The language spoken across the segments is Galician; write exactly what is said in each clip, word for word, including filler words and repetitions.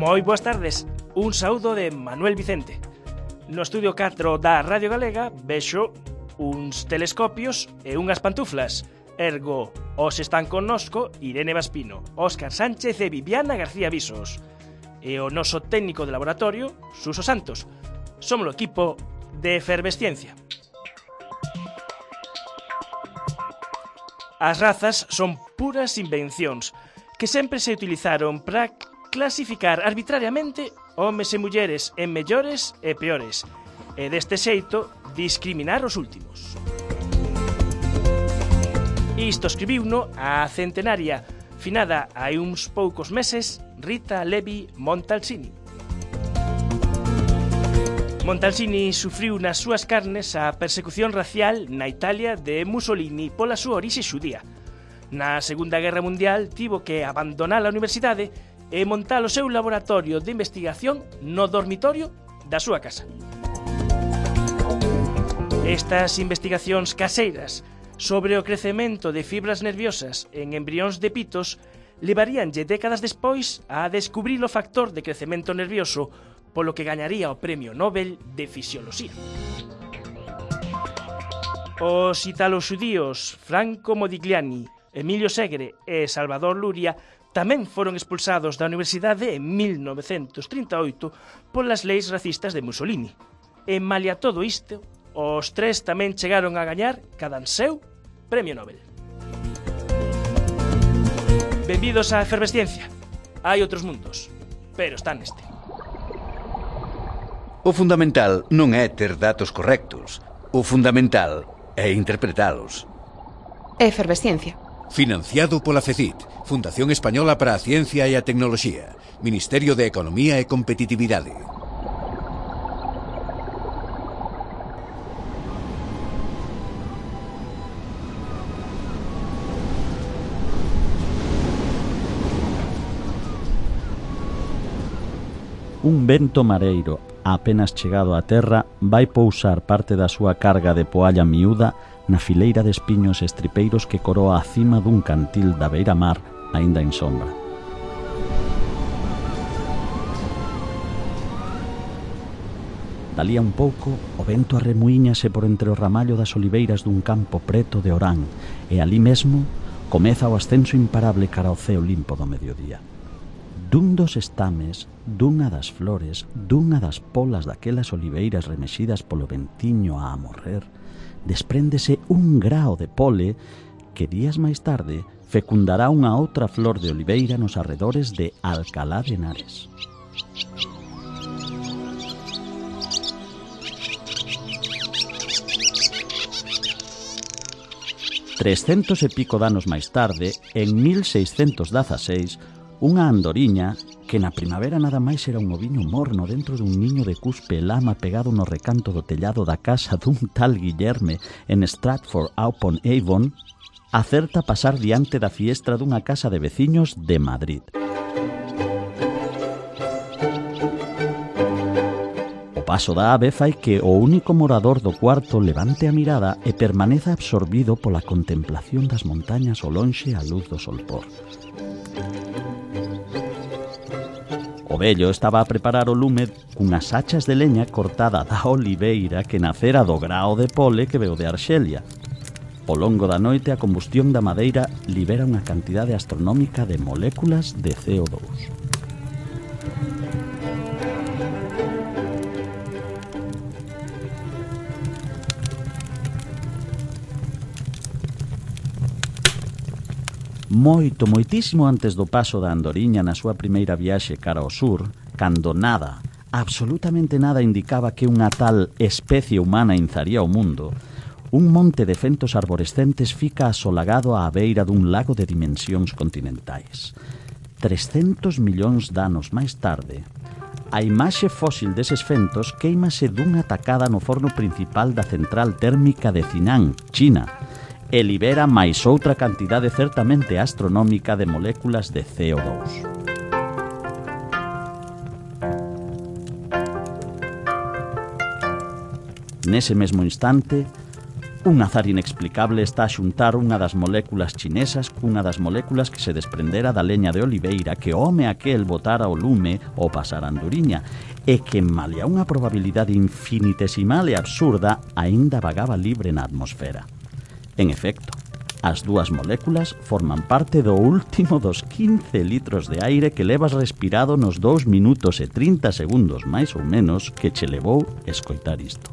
Moi boas tardes, un saúdo de Manuel Vicente. No estudio catro da Radio Galega vexo uns telescopios e unhas pantuflas. Ergo, os están connosco Irene Vaspino, Óscar Sánchez e Viviana García Visos. E o noso técnico de laboratorio, Suso Santos. Somos o equipo de Efervesciencia. As razas son puras invencións que sempre se utilizaron para clasificar arbitrariamente homes e mulleres en mellores e peores, e deste xeito discriminar os últimos. Isto escribiuno a centenaria, finada hai uns poucos meses, Rita Levi Montalcini. Montalcini sufriu nas súas carnes a persecución racial na Italia de Mussolini pola súa orixe xudía. Na Segunda Guerra Mundial tivo que abandonar a universidade e montar o seu laboratorio de investigación no dormitorio da súa casa. Estas investigacións caseiras sobre o crecemento de fibras nerviosas en embrións de pitos levaríanlle décadas despois a descubrir o factor de crecemento nervioso polo que gañaría o Premio Nobel de Fisioloxía. Os italo-xudíos Franco Modigliani, Emilio Segre e Salvador Luria tamén foron expulsados da universidade en mil novecentos trinta e oito polas leis racistas de Mussolini. E malia todo isto, os tres tamén chegaron a gañar cada seu Premio Nobel. Benvidos á Efervesciencia. Hai outros mundos, pero están neste. O fundamental non é ter datos correctos. O fundamental é interpretalos. Efervesciencia. Financiado pola CECIT, Fundación Española para a Ciencia e a Tecnoloxía, Ministerio de Economía e Competitividade. Un vento mareiro, apenas chegado á terra, vai pousar parte da súa carga de poalla miúda na fileira de espiños estripeiros que coroa a cima dun cantil da beira-mar aínda en sombra. Dalí a un pouco, o vento arremuíñase por entre o ramallo das oliveiras dun campo preto de Orán e alí mesmo comeza o ascenso imparable cara ao ceo limpo do mediodía. Dun dos estames, dunha das flores, dunha das polas daquelas oliveiras remexidas polo ventiño a amorrer, despréndese un grao de pole que días máis tarde fecundará unha outra flor de oliveira nos arredores de Alcalá de Henares. Trescentos e pico danos máis tarde, en mil seiscentos dezaseis, unha andoriña, que na primavera nada máis era un oviño morno dentro dun niño de cuspe e lama pegado no recanto do tellado da casa dun tal Guillerme en Stratford-upon-Avon, acerta pasar diante da fiestra dunha casa de veciños de Madrid. O paso da ave fai que o único morador do cuarto levante a mirada e permaneza absorbido pola contemplación das montañas ao lonxe á luz do solpor. O vello estaba a preparar o lume cunhas hachas de leña cortada da oliveira que nacera do grao de pole que veu de Arxelia. Ao longo da noite a combustión da madeira libera unha cantidade astronómica de moléculas de C O dous. Moito, moitísimo antes do paso da andoriña na súa primeira viaxe cara ao sur, cando nada, absolutamente nada indicaba que unha tal especie humana inzaría o mundo, un monte de fentos arborescentes fica asolagado á beira dun lago de dimensións continentais. trescentos millóns de anos máis tarde, a imaxe fósil deses fentos queimase dunha tacada no forno principal da central térmica de Zinán, China, e libera máis outra cantidade certamente astronómica de moléculas de C O dous. Nese mesmo instante, Un azar inexplicable está a xuntar unha das moléculas chinesas cunha das moléculas que se desprendera da leña de oliveira que o home aquel botara o lume ao pasar a andoriña e que, malia unha probabilidade infinitesimal e absurda, aínda vagaba libre na atmosfera. En efecto, as dúas moléculas forman parte do último dos quince litros de aire que levas respirado nos dous minutos e trinta segundos máis ou menos que che levou escoitar isto.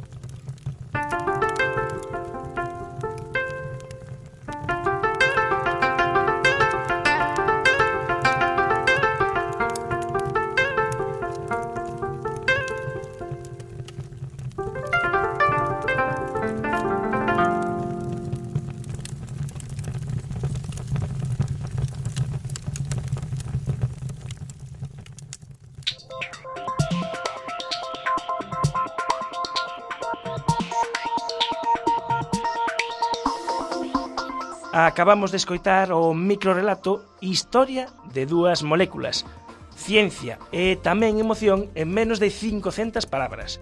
Acabamos de escoitar o microrelato Historia de dúas moléculas, ciencia e tamén emoción en menos de cincocentas palabras.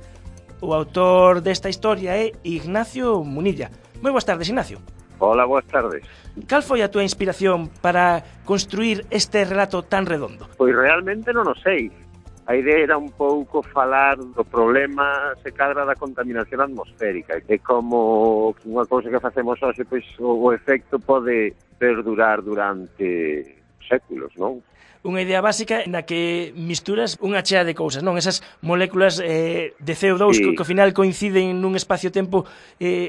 O autor desta historia é Ignacio Munilla. Moi boas tardes, Ignacio. Hola, boas tardes. Cal foi a túa inspiración para construir este relato tan redondo? Pois realmente non o sei. A idea era un pouco falar do problema se cadra da contaminación atmosférica e como unha cousa que facemos hoxe, pois o efecto pode perdurar durante séculos, non? Unha idea básica na que misturas unha chea de cousas, non? Esas moléculas eh, de C O dos sí. que, que ao final coinciden nun espacio-tempo eh,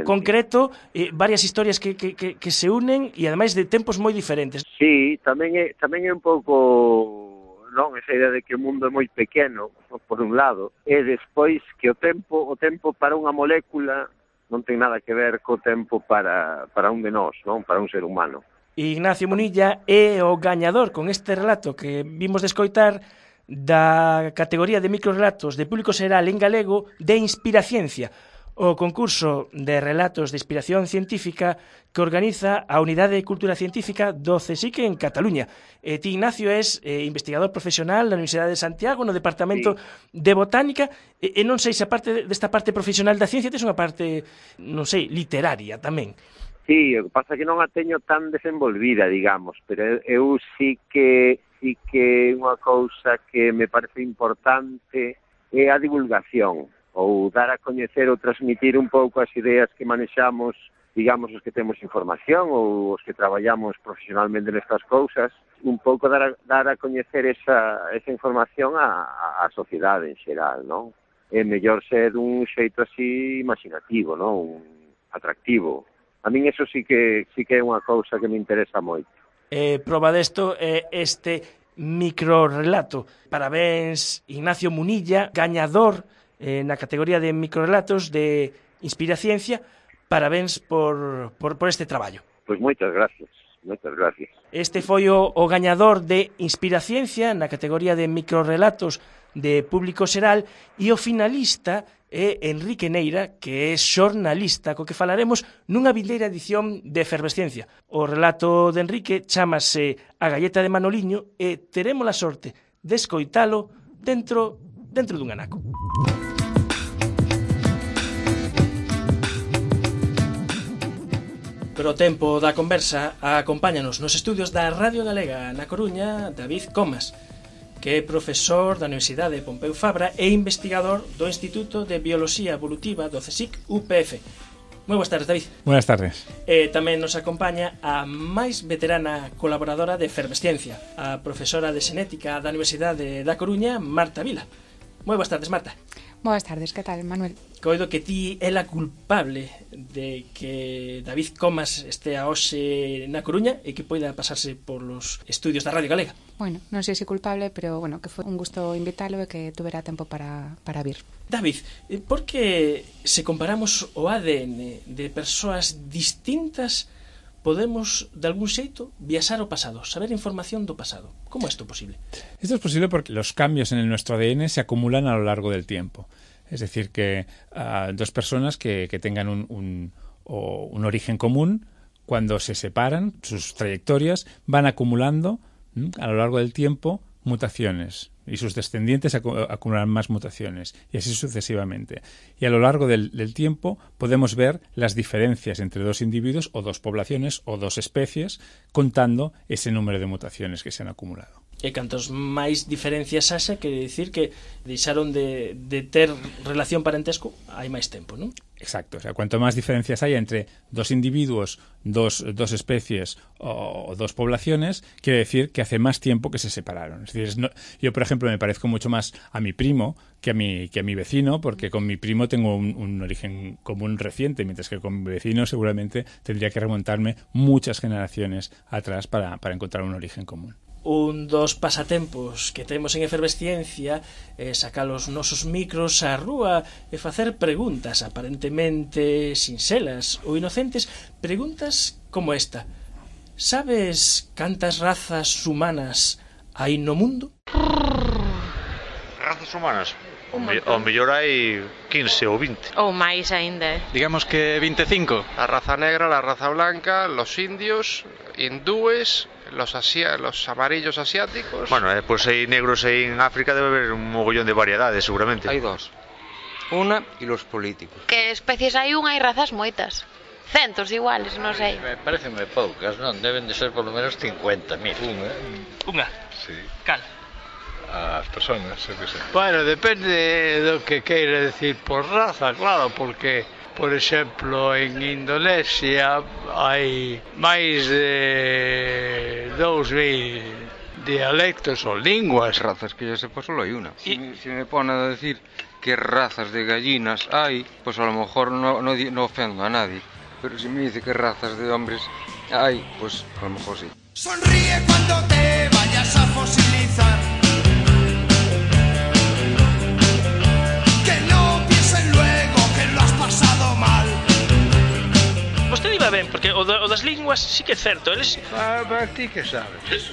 concreto, eh, varias historias que, que, que, que se unen e ademais de tempos moi diferentes. Sí, tamén é, tamén é un pouco... non, esa idea de que o mundo é moi pequeno, por un lado, e despois que o tempo o tempo para unha molécula non ten nada que ver co tempo para, para un de nós, non, para un ser humano. Ignacio Munilla é o gañador con este relato que vimos de escoitar da categoría de microrelatos de público xeral en galego de Inspiraciencia, o concurso de relatos de inspiración científica que organiza a Unidade de Cultura Científica do CSIC en Cataluña. E ti, Ignacio, és eh, investigador profesional na Universidade de Santiago no Departamento sí. de Botánica e, e non sei se a parte desta parte profesional da ciencia tes unha parte, non sei, literaria tamén. Sí, o que pasa é que non a teño tan desenvolvida, digamos, pero eu sí que sí que unha cousa que me parece importante é a divulgación, ou dar a coñecer ou transmitir un pouco as ideas que manexamos, digamos, os que temos información ou os que traballamos profesionalmente nestas cousas, un pouco dar a, dar a coñecer esa, esa información á, á sociedade en xeral, non? É mellor ser un xeito así imaginativo, non? Un atractivo. A min eso sí que sí que é unha cousa que me interesa moito. Eh, proba desto é eh, este microrelato. Parabéns, Ignacio Munilla, gañador eh, na categoría de microrelatos de Inspiraciencia. Parabéns por, por, por este traballo. Pois moitas gracias, moitas gracias. Este foi o, o gañador de Inspiraciencia na categoría de microrelatos de público xeral e o finalista é Enrique Neira, que é xornalista, co que falaremos nunha vindeira edición de Efervesciencia. O relato de Enrique chámase A galleta de Manoliño e teremos a sorte de escoitalo dentro, dentro dun anaco. Pero o tempo da conversa acompáñanos nos estudios da Radio Galega na Coruña David Comas, que é profesor da Universidade Pompeu Fabra e investigador do Instituto de Bioloxía Evolutiva do CSIC U P F. Moi boas tardes, David. Buenas tardes. E tamén nos acompaña a máis veterana colaboradora de Efervesciencia, a profesora de Xenética da Universidade da Coruña, Marta Vila. Moi boas tardes, Marta. Boas tardes, que tal, Manuel? Coido que ti é la culpable de que David Comas estea hoxe na Coruña e que poida pasarse por los estudios da Radio Galega. Bueno, non sei se culpable, pero bueno, que foi un gusto invitalo e que tuvera tempo para, para vir. David, por que se comparamos o A D N de persoas distintas podemos, de algún xeito, viaxar ao pasado, saber información do pasado? Como é isto posible? Esto es posible porque los cambios en el nuestro A D N se acumulan a lo largo del tiempo. Es decir, que uh, dos personas que, que tengan un, un, o un origen común, cuando se separan, sus trayectorias van acumulando ¿m? a lo largo del tiempo mutaciones. y sus descendientes acu acumularán más mutaciones, y así sucesivamente. Y a lo largo del, del tiempo podemos ver las diferencias entre dos individuos o dos poblaciones o dos especies, contando ese número de mutaciones que se han acumulado. E cantos máis diferencias haxa, quere dicir que deixaron de, de ter relación parentesco hai máis tempo, non? Exacto, o sea, cuanto más diferencias haya entre dos individuos, dos, dos especies o, o dos poblaciones, quiere decir que hace más tiempo que se separaron. Es decir, es no, yo, por ejemplo, me parezco mucho más a mi primo que a mi, que a mi vecino, porque con mi primo tengo un, un origen común reciente, mientras que con mi vecino seguramente tendría que remontarme muchas generaciones atrás para, para encontrar un origen común. Un dos pasatempos que temos en Efervesciencia é sacar os nosos micros á rúa e facer preguntas aparentemente sinxelas ou inocentes, preguntas como esta: sabes cantas razas humanas hai no mundo? Razas humanas? O, me, o mellor hai quince ou vinte. Ou máis aínda. Digamos que veinticinco. La raza negra, la raza blanca, los indios, hindúes, los, asia los amarillos asiáticos. Bueno, eh, pues hai negros aí en África, debe haber un mogollón de variedades, seguramente. Hai dos. Una e los políticos. Que especies hai unha, hai razas moitas. Centos iguales, non sei. Me parecen moi poucas, non? Deben de ser polo menos cincuenta mil. Unha? Unha? Sí. Cal? As personas, eu que sei. Bueno, depende do que queira decir por raza, claro, porque, por exemplo, en Indonesia hai máis de dous mil dialectos ou linguas. Razas que yo sepa solo hai una. Si, me, si me pone a decir que razas de gallinas hai, pues a lo mejor no, no, no ofendo a nadie. Pero si me dice que razas de hombres hay, pues a lo mejor sí. Sonríe cuando te vayas a fosilizar. Que no piensen luego que lo has pasado mal. Vostede iba ben, porque o, do, o das linguas sí que é certo. Eles... Ah, mas ti que sabes?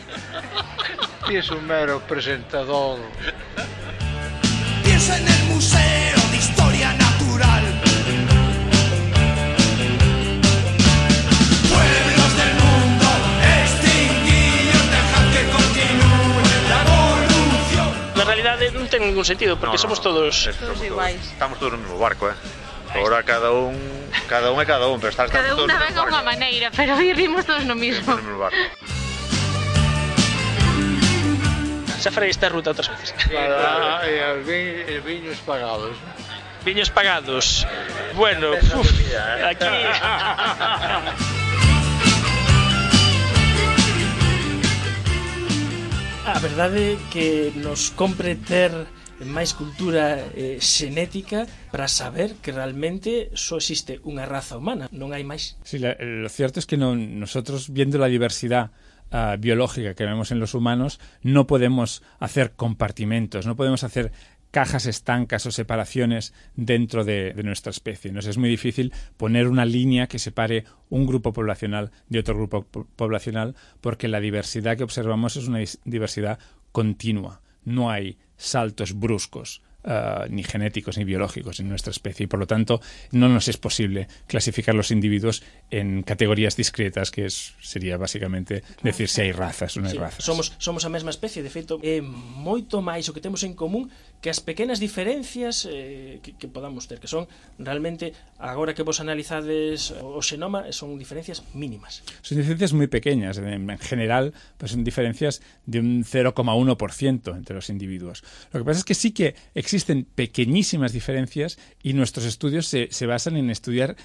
Ti es un mero presentador. Piensa en el Museo de Historia Natural. Pueblos del mundo extinguidos, dejad que continúe la evolución. Na realidade non ten ningún sentido, porque no, no, somos todos... Todos iguais. Estamos todos no mesmo barco, eh? Agora cada un, cada un é cada un, pero estás cada todos unha ven a unha maneira, pero vivimos todos no mismo. No mesmo barco. Xa farei esta ruta outras veces. Para, e os vi, viños pagados. Viños pagados. Bueno, uf, aquí... A verdade é que nos compre ter máis cultura eh, xenética para saber que realmente só existe unha raza humana, non hai máis. Sí, la, lo cierto es que no, nosotros, viendo la diversidad Uh, biológica que vemos en los humanos, no podemos hacer compartimentos, no podemos hacer cajas estancas o separaciones dentro de, de nuestra especie. Nos es muy difícil poner una línea que separe un grupo poblacional de otro grupo po poblacional, porque la diversidad que observamos es una diversidad continua. No hay saltos bruscos, Uh, ni genéticos ni biológicos en nuestra especie, y por lo tanto no nos es posible clasificar los individuos en categorías discretas, que es, sería básicamente decir si hay razas o non hai sí, razas. Somos, somos a mesma especie, de feito é moito máis o que temos en común que as pequenas diferencias eh, que, que podamos ter, que son realmente, agora que vos analizades o xenoma, son diferencias mínimas. Son diferencias muy pequeñas, en general pues son diferencias de un cero coma uno por ciento entre los individuos. Lo que pasa es que sí que existen pequeñísimas diferencias, y nuestros estudios se, se basan en estudiar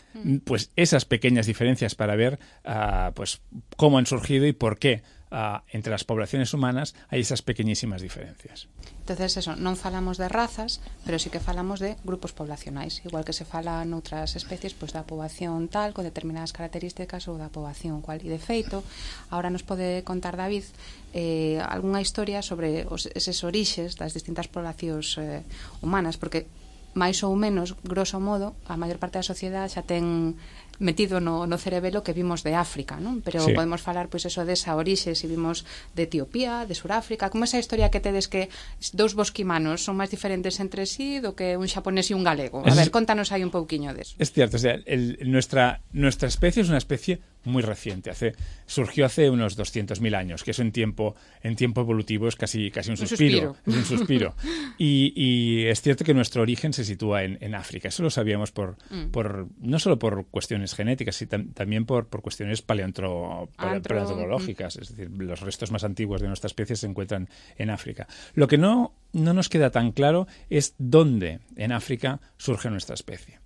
pues esas pequeñas diferencias para ver uh, pues cómo han surgido y por qué uh, entre las poblaciones humanas hay esas pequeñísimas diferencias. Entonces, eso, non falamos de razas, pero sí que falamos de grupos poblacionais, igual que se fala noutras especies, pois da poboación tal, con determinadas características, ou da poboación cual. E de feito, ahora nos pode contar David eh, algunha historia sobre os, eses orixes das distintas poblacións eh, humanas, porque máis ou menos, grosso modo, a maior parte da sociedade xa ten metido no, no cerebelo que vimos de África, non? Pero sí. podemos falar, pois, eso desa orixe, se vimos de Etiopía, de Suráfrica, como esa historia que tedes que dous bosquimanos son máis diferentes entre sí do que un xaponés e un galego. A ver, contanos aí un pouquiño deso. Es cierto, o sea, el, nuestra, nuestra especie es una especie muy reciente, hace, surgió hace unos doscientos mil años, que eso en tiempo, en tiempo evolutivo es casi, casi un, un suspiro. suspiro. Es un suspiro. y, y es cierto que nuestro origen se sitúa en, en África. Eso lo sabíamos por, mm. por no solo por cuestiones genéticas, sino tam, también por, por cuestiones paleontro, pale, Antro... paleontológicas. Es decir, los restos más antiguos de nuestra especie se encuentran en África. Lo que no, no nos queda tan claro es dónde en África surge nuestra especie.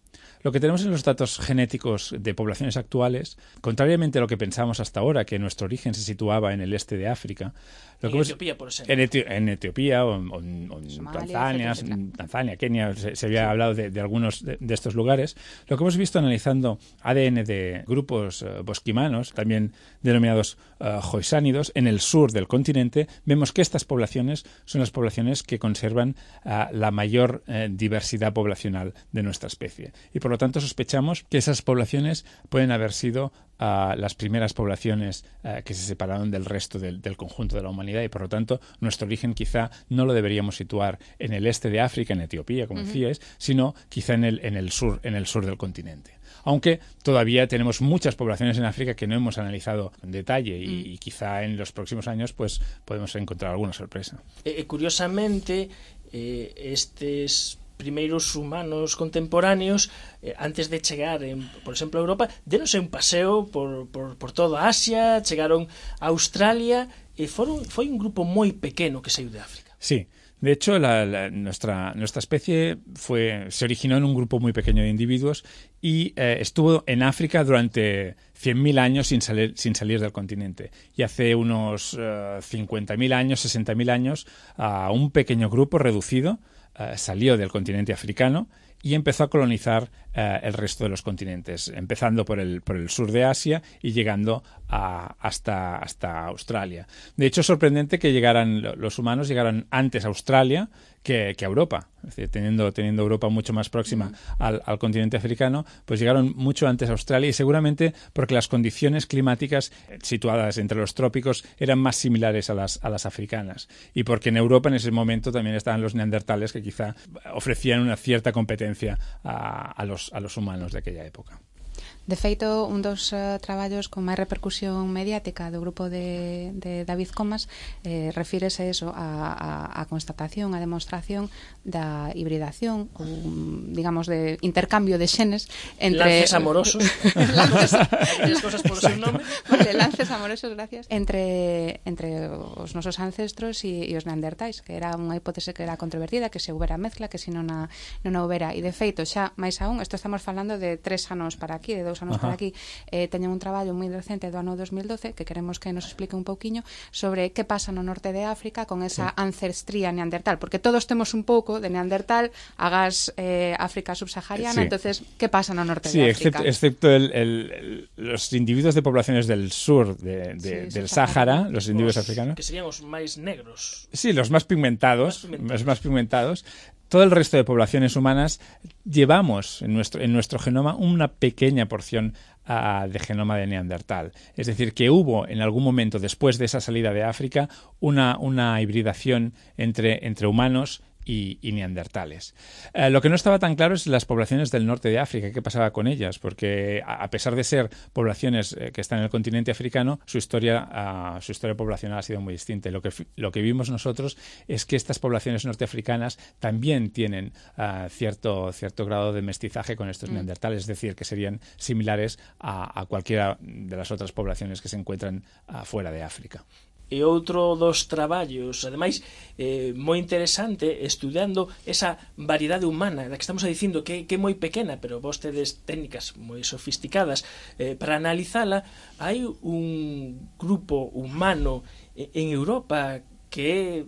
Lo que tenemos en los datos genéticos de poblaciones actuales, contrariamente a lo que pensábamos hasta ahora, que nuestro origen se situaba en el este de África, lo en que Etiopía, por ejemplo. En, Eti en Etiopía o en, o en, o en Somalia, Tanzania, etcétera. Tanzania, Kenia, se, se había sí. hablado de, de algunos de, de estos lugares. Lo que hemos visto analizando A D N de grupos uh, bosquimanos, también denominados uh, joysánidos, en el sur del continente, vemos que estas poblaciones son las poblaciones que conservan uh, la mayor uh, diversidad poblacional de nuestra especie. Y por lo tanto sospechamos que esas poblaciones pueden haber sido a las primeras poblaciones uh, que se separaron del resto del, del conjunto de la humanidad y por lo tanto nuestro origen quizá no lo deberíamos situar en el este de África, en Etiopía, como uh-huh. decíais, sino quizá en el, en el sur, en el sur del continente. Aunque todavía tenemos muchas poblaciones en África que no hemos analizado en detalle y, mm. y quizá en los próximos años pues podemos encontrar alguna sorpresa. Eh, curiosamente, eh, estes primeiros humanos contemporáneos, eh, antes de chegar, en, por exemplo, a Europa, deronse un paseo por, por, por toda Asia, chegaron a Australia, e foron, foi un grupo moi pequeno que saiu de África. Sí. De hecho, la, la, nuestra, nuestra especie fue, se originó en un grupo muy pequeño de individuos y eh, estuvo en África durante cien mil años sin salir, sin salir del continente. Y hace unos uh, cincuenta mil años, sesenta mil años, uh, un pequeño grupo reducido uh, salió del continente africano y empezó a colonizar uh, el resto de los continentes, empezando por el, por el sur de Asia y llegando a, hasta, hasta Australia. De hecho, es sorprendente que llegaran los humanos llegaran antes a Australia que, que a Europa. Es decir, teniendo, teniendo Europa mucho más próxima mm. al, al continente africano, pues llegaron mucho antes a Australia y seguramente porque las condiciones climáticas situadas entre los trópicos eran más similares a las, a las africanas y porque en Europa en ese momento también estaban los neandertales que quizá ofrecían una cierta competencia a, a, los, a los humanos de aquella época. De feito, un dos uh, traballos con máis repercusión mediática do grupo de, de David Comas eh, refírese eso a, a, a constatación, a demostración da hibridación ou, digamos, de intercambio de xenes entre... Lances amorosos. lances, as cosas por o seu nome. Vale, lances amorosos, gracias. Entre, entre os nosos ancestros e, e os neandertais, que era unha hipótese que era controvertida, que se houbera mezcla, que se non a, non a houbera. E de feito, xa máis aún, isto estamos falando de tres anos para aquí, de dous anos Ajá. para aquí, eh, teñen un traballo moi recente do ano dos mil doce que queremos que nos explique un pouquiño sobre que pasa no norte de África con esa sí. ancestría neandertal, porque todos temos un pouco de neandertal, hagas eh, África subsahariana, sí. entonces, que pasa no norte sí, de África? Sí, excepto, excepto el, el, el, los individuos de poblaciones del sur de, de, sí, del Sáhara, los individuos los, africanos. Que serían os máis negros. Sí, los más pigmentados, más pigmentados. los más pigmentados. Todo el resto de poblaciones humanas llevamos en nuestro, en nuestro genoma una pequeña porción uh, de genoma de neandertal. Es decir, que hubo en algún momento después de esa salida de África una, una hibridación entre, entre humanos y, y neandertales. Eh, lo que no estaba tan claro es las poblaciones del norte de África, qué pasaba con ellas, porque a, a pesar de ser poblaciones eh, que están en el continente africano, su historia, uh, su historia poblacional ha sido muy distinta. Y lo que, lo que vimos nosotros es que estas poblaciones norteafricanas también tienen uh, cierto, cierto grado de mestizaje con estos mm. neandertales, es decir, que serían similares a, a cualquiera de las otras poblaciones que se encuentran uh, fuera de África. E outro dos traballos, ademais, eh, moi interesante, estudiando esa variedade humana da que estamos dicindo que, que é moi pequena, pero vos tedes técnicas moi sofisticadas eh, para analizala. Hai un grupo humano en Europa que é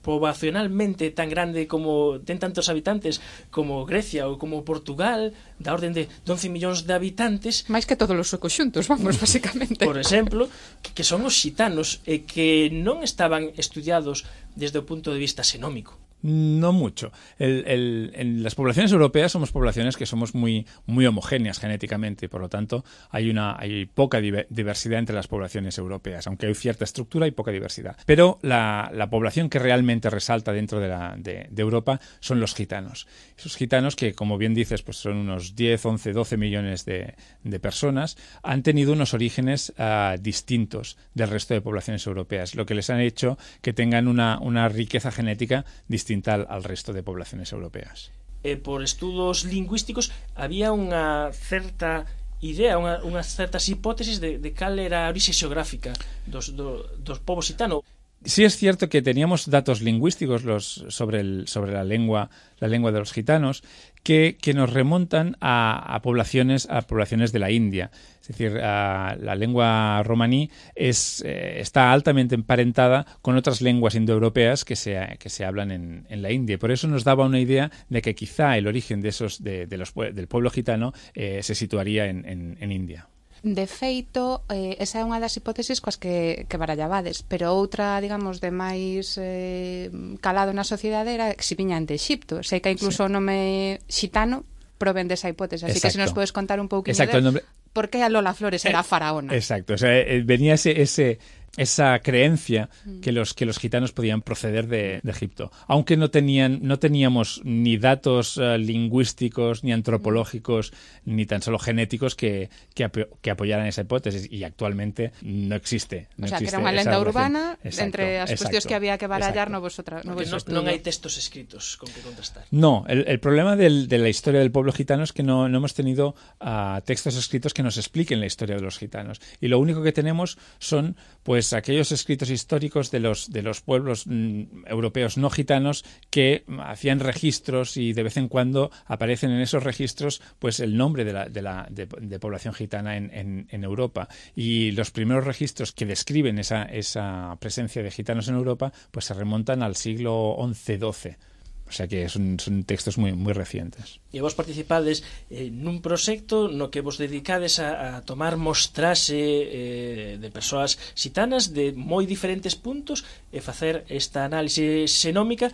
poboacionalmente tan grande como ten tantos habitantes como Grecia ou como Portugal, da orden de once millóns de habitantes, máis que todos os suecos xuntos, vamos, basicamente. Por exemplo, que, que son os xitanos e que non estaban estudiados desde o punto de vista xenómico. No mucho. El, el, en las poblaciones europeas somos poblaciones que somos muy, muy homogéneas genéticamente y por lo tanto hay, una, hay poca diversidad entre las poblaciones europeas, aunque hay cierta estructura y poca diversidad. Pero la, la población que realmente resalta dentro de, la, de, de Europa son los gitanos. Esos gitanos que, como bien dices, pues son unos diez, once, doce millones de, de personas, han tenido unos orígenes uh, distintos del resto de poblaciones europeas, lo que les ha hecho que tengan una, una riqueza genética distinta Al, al resto de poblaciones europeas. Eh, por estudos lingüísticos había unha certa idea, unha, unhas certas hipótesis de, de cal era a orixe xeográfica dos, do, dos povos gitanos. Sí es cierto que teníamos datos lingüísticos los, sobre, el, sobre la lengua la lengua de los gitanos que, que nos remontan a, a poblaciones a poblaciones de la India. Es decir, uh, la lengua romaní es, eh, está altamente emparentada con otras lenguas indoeuropeas que se, que se hablan en, en la India. Por eso nos daba una idea de que quizá el origen de esos, de, de los, del pueblo gitano eh, se situaría en, en, en India. De feito, eh, esa é unha das hipótesis coas que, que barallabades, pero outra, digamos, de máis eh, calado na sociedade era que si viñan de Exipto. Sei que incluso sí. O nome xitano proven desa hipótese, así exacto. Que se nos podes contar un pouquinho de nombre... por que a Lola Flores era eh, faraona. Exacto, o sea, eh, venía ese... ese esa creencia que los que los gitanos podían proceder de, de Egipto, aunque no tenían no teníamos ni datos uh, lingüísticos ni antropológicos ni tan solo genéticos que que, apo que apoyaran esa hipótesis y actualmente no existe. No o sea, existe que era unha lenda urbana exacto, entre as cuestións que había que barallar novos outra novos no, non hai textos escritos con que contrastar. No, el, el problema del, de la historia del pueblo gitano es que no, no hemos tenido uh, textos escritos que nos expliquen la historia de los gitanos y lo único que tenemos son pues aquellos escritos históricos de los de los pueblos mm, europeos no gitanos que hacían registros y de vez en cuando aparecen en esos registros pues el nombre de la de la de, de población gitana en, en, en Europa y los primeros registros que describen esa esa presencia de gitanos en Europa pues se remontan al siglo once doce. O sea que son, son textos moi, moi recientes. E vos participades eh, nun proxecto no que vos dedicades a, a tomar mostrase eh, de persoas xitanas de moi diferentes puntos e facer esta análise xenómica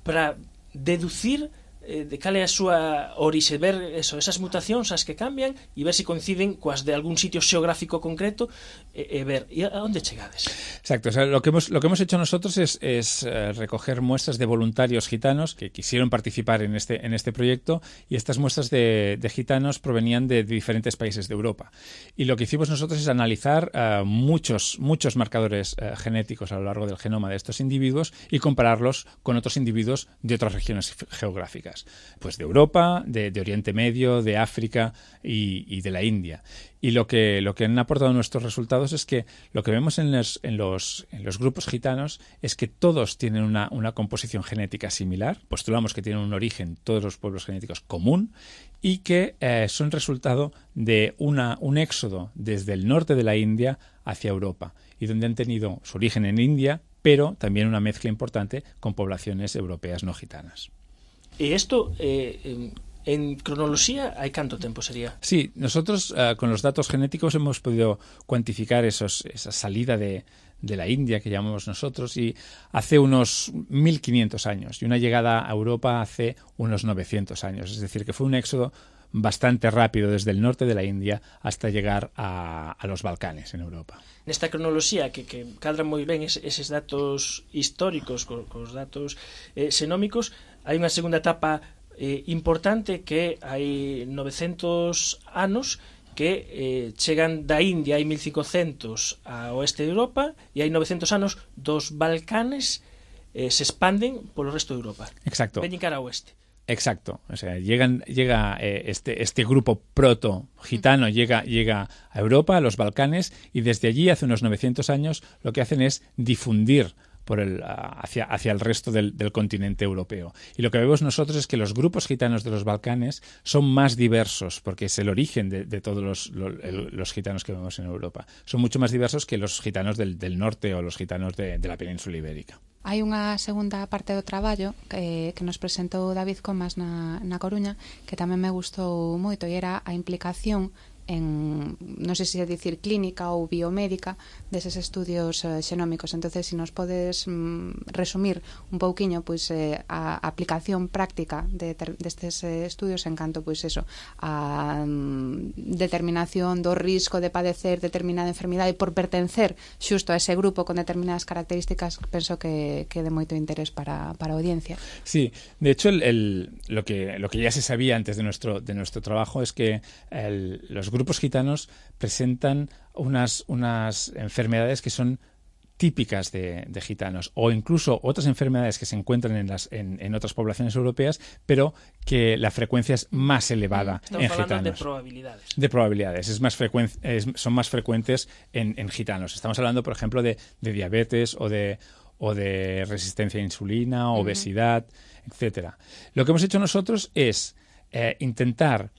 para deducir eh, de cal é a súa orixe, ver eso, esas mutacións as que cambian e ver se si coinciden coas de algún sitio xeográfico concreto e, e ver, e a onde chegades? Exacto, o sea, lo que hemos lo que hemos hecho nosotros es, es eh, recoger muestras de voluntarios gitanos que quisieron participar en este en este proyecto y estas muestras de, de gitanos provenían de, de diferentes países de Europa y lo que hicimos nosotros es analizar uh, muchos muchos marcadores uh, genéticos a lo largo del genoma de estos individuos y compararlos con otros individuos de otras regiones geográficas. Pues de Europa, de, de Oriente Medio, de África y, y de la India. Y lo que, lo que han aportado nuestros resultados es que lo que vemos en los, en los, en los grupos gitanos es que todos tienen una, una composición genética similar, postulamos que tienen un origen, todos los pueblos genéticos, común, y que eh, son resultado de una, un éxodo desde el norte de la India hacia Europa, y donde han tenido su origen en India, pero también una mezcla importante con poblaciones europeas no gitanas. E isto, eh, en cronoloxía, hai canto tempo sería? Sí, nosotros uh, con los datos genéticos hemos podido cuantificar esos, esa salida de, de la India que llamamos nosotros y hace unos mil quinientos años y una llegada a Europa hace unos novecientos años. Es decir, que fue un éxodo bastante rápido desde el norte de la India hasta llegar a, a los Balcanes en Europa. Nesta cronoloxía que, que cadran moi ben es, eses datos históricos co, cos datos eh, xenómicos, hai unha segunda etapa eh, importante que hai novecentos anos que eh, chegan da India hai mil cincocentos ao oeste de Europa e hai novecentos anos dos Balcanes eh, se expanden polo resto de Europa. Exacto. Veñen cara ao oeste. Exacto, o sea, llegan, llega eh, este, este grupo proto-gitano, llega, llega a Europa, a los Balcanes, y desde allí, hace unos novecientos años, lo que hacen es difundir por el, hacia, hacia el resto del, del continente europeo. Y lo que vemos nosotros es que los grupos gitanos de los Balcanes son más diversos, porque es el origen de, de todos los, los, los gitanos que vemos en Europa. Son mucho más diversos que los gitanos del, del norte o los gitanos de, de la península ibérica. Hai unha segunda parte do traballo que, que nos presentou David Comas na, na Coruña que tamén me gustou moito e era a implicación en non sei se é dicir clínica ou biomédica deses estudios eh, xenómicos. Entonces, se si nos podes mm, resumir un pouquiño pois eh, a aplicación práctica de ter, destes eh, estudios en canto pois eso, a mm, determinación do risco de padecer determinada enfermidade por pertencer xusto a ese grupo con determinadas características, penso que, que de moito interés para, para a audiencia. Sí, de hecho el, el, lo, que, lo que ya se sabía antes de nuestro, de nuestro trabajo es que el, los grupos gitanos presentan unas, unas enfermedades que son típicas de, de gitanos, o incluso otras enfermedades que se encuentran en, las, en, en otras poblaciones europeas, pero que la frecuencia es más elevada Estamos en hablando gitanos. de probabilidades. De probabilidades, es más frecuen, es, son más frecuentes en, en gitanos. Estamos hablando, por ejemplo, de, de diabetes o de, o de resistencia a insulina, obesidad, uh-huh. etcétera. Lo que hemos hecho nosotros es eh, intentar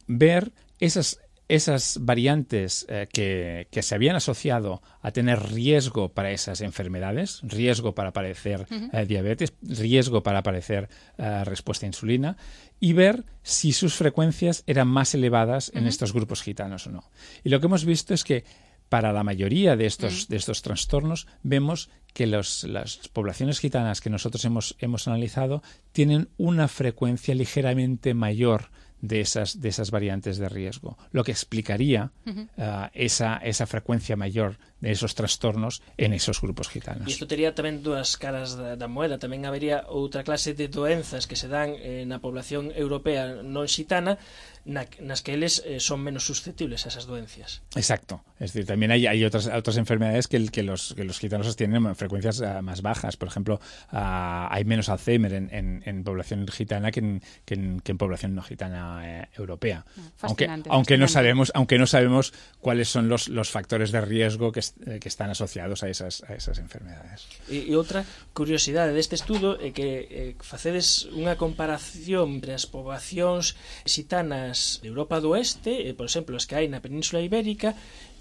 ver esas esas variantes eh, que, que se habían asociado a tener riesgo para esas enfermedades, riesgo para padecer uh-huh. eh, diabetes, riesgo para padecer eh, respuesta a insulina, y ver si sus frecuencias eran más elevadas uh-huh. en estos grupos gitanos o no. Y lo que hemos visto es que para la mayoría de estos, uh-huh. de estos trastornos vemos que los, las poblaciones gitanas que nosotros hemos, hemos analizado tienen una frecuencia ligeramente mayor de esas, de esas variantes de riesgo, lo que explicaría uh-huh. uh, esa, esa frecuencia mayor de esos trastornos en esos grupos gitanos. E isto tería tamén dúas caras da, da moeda. Tamén habería outra clase de doenzas que se dan eh, na población europea non xitana, na, nas que eles eh, son menos susceptibles a esas doencias. Exacto. Es decir, también hay, hay otras, otras enfermedades que, el, que, los, que los gitanos tienen frecuencias uh, más bajas. Por ejemplo, uh, hay menos Alzheimer en, en, en población gitana que en, que en, que en población no gitana eh, europea. Aunque, aunque, no sabemos, aunque no sabemos cuáles son los, los factores de riesgo que, que están asociados a esas, a esas enfermedades. E, e outra curiosidade deste estudo é que eh, facedes unha comparación entre as poboacións xitanas de Europa do Oeste, eh, por exemplo, as que hai na Península Ibérica,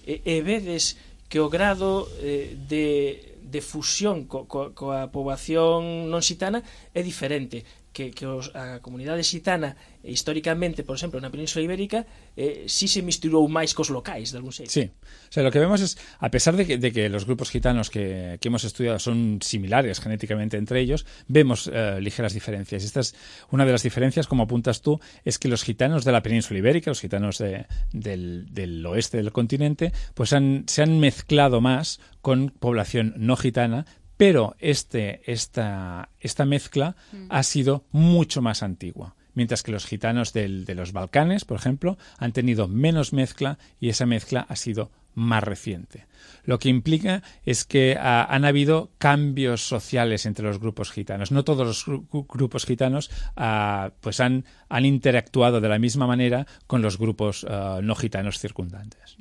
e, e vedes que o grado eh, de, de fusión co, co, coa poboación non xitana é diferente, que, que os, a comunidade xitana históricamente, por exemplo, na Península Ibérica eh, sí se misturou máis cos locais de algún xeito. Sí, o sea, lo que vemos es, a pesar de que, de que los grupos gitanos que, que hemos estudiado son similares genéticamente entre ellos, vemos eh, ligeras diferencias. Esta es una de las diferencias, como apuntas tú, es que los gitanos de la Península Ibérica, los gitanos de, del, del oeste del continente, pues han, se han mezclado más con población no gitana, pero este, esta, esta mezcla mm. ha sido mucho más antigua. Mientras que los gitanos del, de los Balcanes, por ejemplo, han tenido menos mezcla y esa mezcla ha sido más reciente. Lo que implica es que uh, han habido cambios sociales entre los grupos gitanos. No todos los gru- grupos gitanos uh, pues han, han interactuado de la misma manera con los grupos uh, no gitanos circundantes.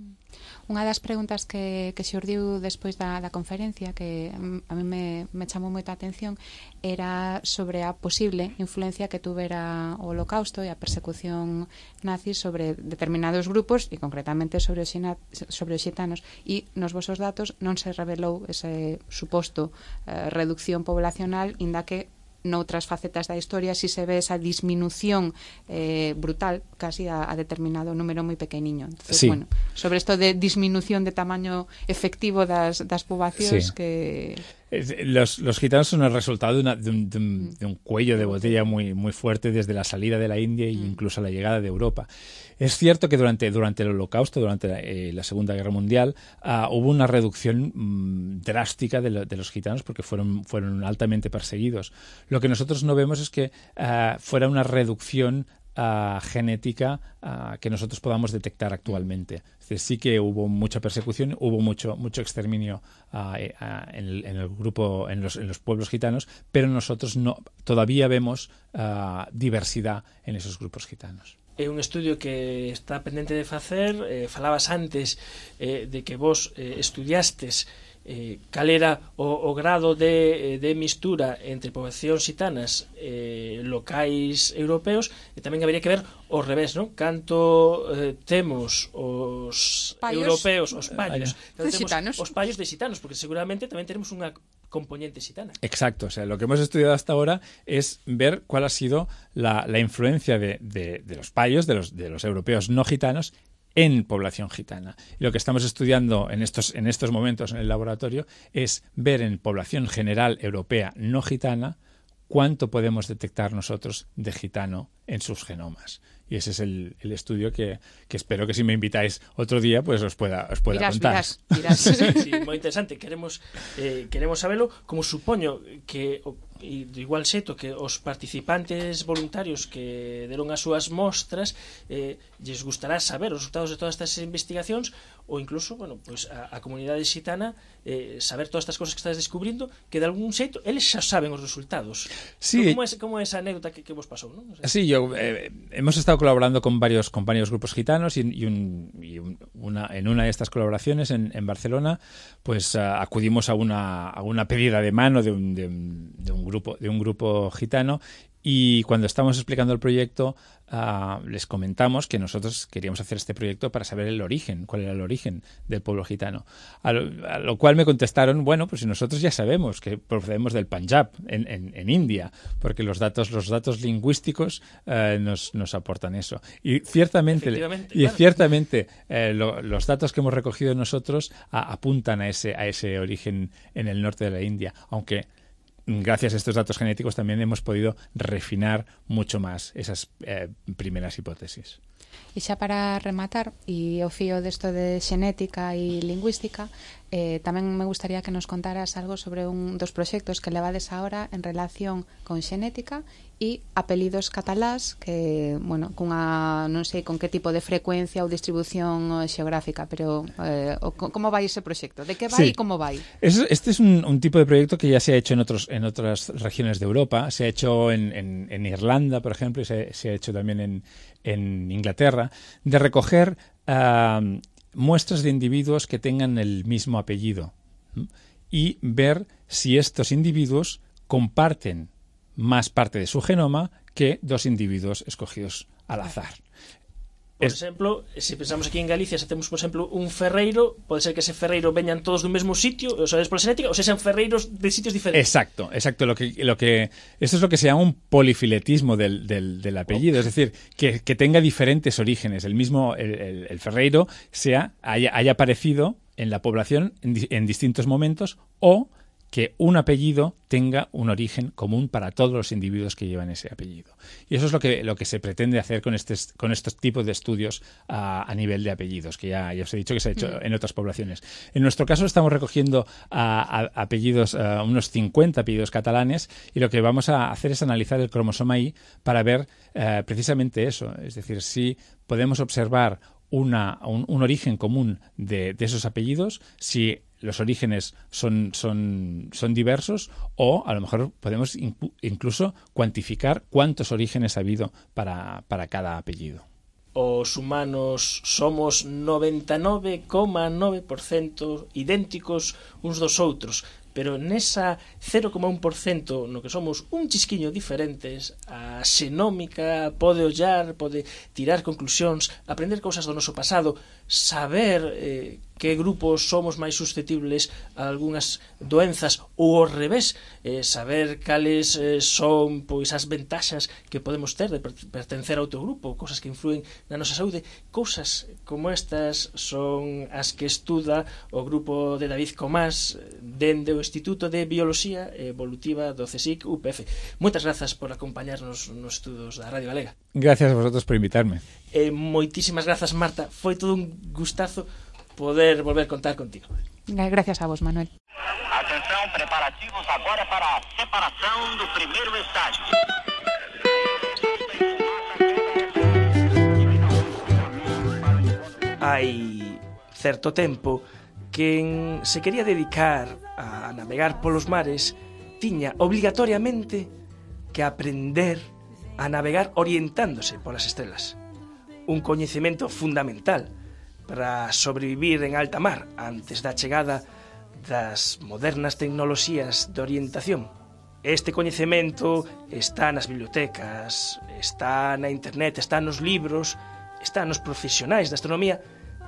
Unha das preguntas que, que xurdiu despois da, da conferencia, que a mí me, me chamou moita atención, era sobre a posible influencia que tuvera o Holocausto e a persecución nazi sobre determinados grupos e concretamente sobre os, xina, sobre os xitanos, e nos vosos datos non se revelou ese suposto eh, reducción poblacional, inda que noutras facetas da historia si se ve esa disminución eh, brutal casi a, a determinado número moi pequeniño. Entonces, sí. bueno, sobre isto de disminución de tamaño efectivo das, das poboacións Sí. que... Los, los gitanos son el resultado de, una, de, un, de, un, de un cuello de botella muy, muy fuerte desde la salida de la India e incluso la llegada de Europa. Es cierto que durante, durante el Holocausto, durante la, eh, la Segunda Guerra Mundial, uh, hubo una reducción mmm, drástica de, lo, de los gitanos porque fueron, fueron altamente perseguidos. Lo que nosotros no vemos es que uh, fuera una reducción Uh, genética uh, que nosotros podamos detectar actualmente. Es decir, sí que hubo mucha persecución, hubo mucho mucho exterminio uh, eh, uh, en, el, en el grupo, en los, en los pueblos gitanos, pero nosotros no todavía vemos uh, diversidad en esos grupos gitanos. É un estudio que está pendente de facer. Eh, falabas antes eh, de que vos eh, estudiastes eh, cal era o, o grado de, de mistura entre poboacións xitanas eh, locais europeos, e tamén habería que ver ao revés, non? Canto eh, temos os Paios. europeos, os paios, De xitanos. os paios de xitanos, porque seguramente tamén tenemos unha componente xitana. Exacto, o sea, lo que hemos estudiado hasta ahora es ver cuál ha sido la, la influencia de, de, de los payos, de los, de los europeos no gitanos, en población gitana. Y lo que estamos estudiando en estos, en estos momentos en el laboratorio es ver en población general europea no gitana cuánto podemos detectar nosotros de gitano en sus genomas. Y ese es el, el estudio que, que espero que si me invitáis otro día pues os pueda, os pueda mirás, contar. Mirás, mirás. Sí, moi interesante. Queremos eh, queremos sabelo, como supoño que e de igual xeito que os participantes voluntarios que deron as súas mostras eh, lles gustará saber os resultados de todas estas investigacións, ou incluso, bueno, pues a, a comunidade xitana eh, saber todas estas cosas que estás descubrindo, que de algún xeito eles xa saben os resultados. Sí. Como é, como é esa anécdota que, que vos pasou, ¿no? O sea, sí, yo eh, hemos estado colaborando con varios con varios grupos gitanos y, y, un, y un, una, en una de estas colaboraciones en, en Barcelona, pues uh, acudimos a una, a una pedida de mano de un, de, de un grupo de un grupo gitano, y cuando estábamos explicando el proyecto uh, les comentamos que nosotros queríamos hacer este proyecto para saber el origen, cuál era el origen del pueblo gitano, a lo, a lo cual me contestaron, bueno, pues si nosotros ya sabemos que procedemos del Punjab en, en, en India, porque los datos los datos lingüísticos uh, nos, nos aportan eso, y ciertamente y claro. ciertamente eh, lo, los datos que hemos recogido nosotros a, apuntan a ese a ese origen en el norte de la India, aunque gracias a estos datos genéticos también hemos podido refinar mucho más esas eh, primeras hipótesis. E xa para rematar, e o fío desto de xenética e lingüística, eh, tamén me gustaría que nos contaras algo sobre un dos proxectos que levades ahora en relación con xenética e apelidos catalás que, bueno, cunha, non sei con que tipo de frecuencia ou distribución xeográfica, pero eh, o, como vai ese proxecto? De que vai e sí. como vai? Es, este es un, un tipo de proyecto que ya se ha hecho en otros en otras regiones de Europa, se ha hecho en, en, en Irlanda, por ejemplo, y se, se ha hecho también en, en Inglaterra, de recoger uh, muestras de individuos que tengan el mismo apellido, ¿m? y ver si estos individuos comparten más parte de su genoma que dos individuos escogidos al azar. Por Es... exemplo, se pensamos aquí en Galicia, se temos, por exemplo, un ferreiro, pode ser que ese ferreiro veñan todos dun mesmo sitio, o sea, por xenética, ou se sean ferreiros de sitios diferentes. Exacto, exacto. Lo que, lo que, esto es lo que se llama un polifiletismo del, del, del apellido, okay. Es decir, que, que tenga diferentes orígenes. El mismo, el, el, el ferreiro sea, haya, haya aparecido en la población en, en distintos momentos, o que un apellido tenga un origen común para todos los individuos que llevan ese apellido. Y eso es lo que, lo que se pretende hacer con, este, con estos tipos de estudios a, a nivel de apellidos, que ya, ya os he dicho que se ha hecho mm. en otras poblaciones. En nuestro caso estamos recogiendo a, a apellidos, a unos cincuenta apellidos catalanes, y lo que vamos a hacer es analizar el cromosoma Y para ver eh, precisamente eso, es decir, si podemos observar una, un, un origen común de, de esos apellidos, si los orígenes son, son, son diversos, o a lo mejor podemos incluso cuantificar cuántos orígenes ha habido para, para cada apellido. Os humanos somos noventa e nove coma nove por cento idénticos uns dos outros, pero nesa cero coma un por cento no que somos un chisquiño diferentes, a xenómica pode ollar, pode tirar conclusións, aprender cousas do noso pasado, saber eh, que grupos somos máis susceptibles a algunhas doenzas, ou ao revés, eh, saber cales eh, son pois as ventaxas que podemos ter de pertencer a outro grupo, cousas que influen na nosa saúde. Cousas como estas son as que estuda o grupo de David Comás dende o Instituto de Bioloxía Evolutiva do CSIC U P F. Moitas grazas por acompañarnos nos estudos da Radio Galega. Gracias a vosotros por invitarme. Eh, moitísimas grazas, Marta. Foi todo un gustazo poder volver a contar contigo. Gracias a vos, Manuel. Atenção, preparativos agora para a separação do primeiro estágio. Hai certo tempo quen se quería dedicar a navegar polos mares tiña obligatoriamente que aprender a navegar orientándose polas estrelas. Un coñecemento fundamental para sobrevivir en alta mar antes da chegada das modernas tecnoloxías de orientación. Este coñecemento está nas bibliotecas, está na internet, está nos libros, está nos profesionais da astronomía,